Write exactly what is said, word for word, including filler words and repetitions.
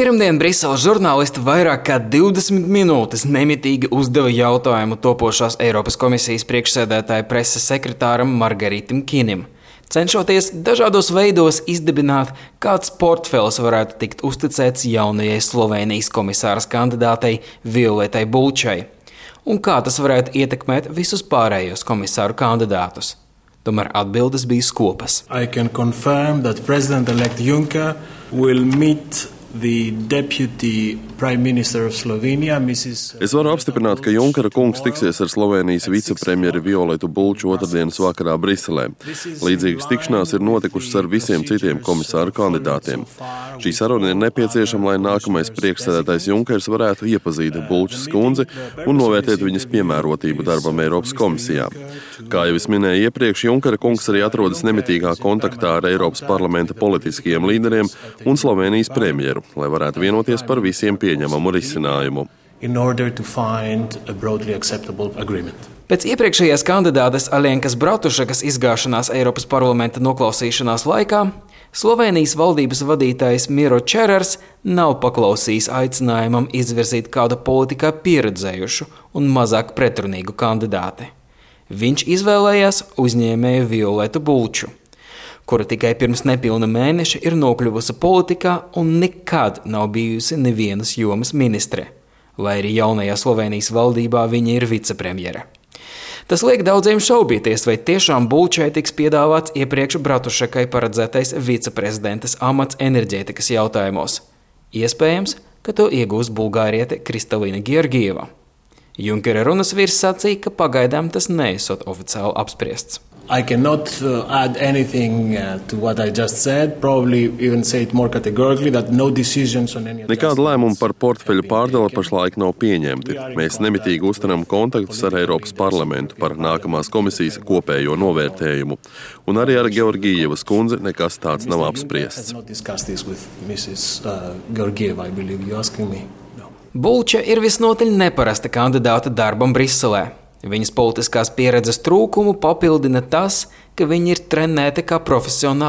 Pirmdien Briseles žurnālisti vairāk kā divdesmit minūtes nemitīgi uzdeva jautājumu topošās Eiropas komisijas priekšsēdētāja preses sekretāram Margaritam Kinim, cenšoties dažādos veidos izdibināt, kāds portfels varētu tikt uzticēts jaunajai Slovēnijas komisāras kandidātei Violetai Bulčai, un kā tas varētu ietekmēt visus pārējos komisāru kandidātus. Tomēr atbildes bija skopas. I can confirm that President-elect Juncker will meet the Deputy Prime Minister of Slovenia, Missus Es varu apstiprināt, ka Junkera kungs tiksies ar Slovēnijas vicepremjeri Violetu Bulču otrdienas vakarā Briselē. Līdzīgas tikšanās ir notikušas ar visiem citiem komisāru kandidātiem. Šī saruna ir nepieciešama, lai nākamais priekšsēdētājs Junkers varētu iepazīt Bulčas kundzi un novērtēt viņas piemērotību darbam Eiropas komisijā. Kā jau es minēju iepriekš, Junkera kungs arī atrodas nemitīgā kontaktā ar Eiropas parlamenta politiskajiem līderiem un Slovēnijas premjeru, lai varētu vienoties par visiem pieņemamu risinājumu. Pēc iepriekšējās kandidātes Aļenkas Bratušekas izgāšanās Eiropas parlamenta noklausīšanās laikā Slovēnijas valdības vadītājs Miro Cerars nav paklausījis aicinājumam izvirzīt kādu politikā pieredzējušu un mazāk pretrunīgu kandidāti. Viņš izvēlējās uzņēmēju Violetu Bulču, kura tikai pirms nepilna mēneša ir nokļuvusi politikā un nekad nav bijusi nevienas jomas ministre, lai arī jaunajā Slovēnijas valdībā viņa ir vicepremjere. Tas liek daudziem šaubīties, vai tiešām Bulčai tiks piedāvāts iepriekš Bratušekai paredzētais viceprezidentes amats enerģētikas jautājumos. Iespējams, ka to iegūs bulgāriete Kristalina Georgieva. Junkera runas vīrs sacīja, ka pagaidām tas neesot oficiāli apspriests. I cannot uh, add anything uh, to what I just said, probably even say it more categorically that no decisions on any Nekāda lēmuma par portfeļu pārdali pašlaik nav pieņemti. Mēs nemitīgi uztaram kontaktus ar Eiropas parlamentu par nākamās komisijas kopējo novērtējumu. Un arī ar Georgievas kundzi nekas tāds nav apspriests. Bulča ir visnotaļ neparasta kandidāta darbam Briselē. Viņas politiskās pieredzes trūkumu papildina tas, ka viņa ir trenēta kā profesionāla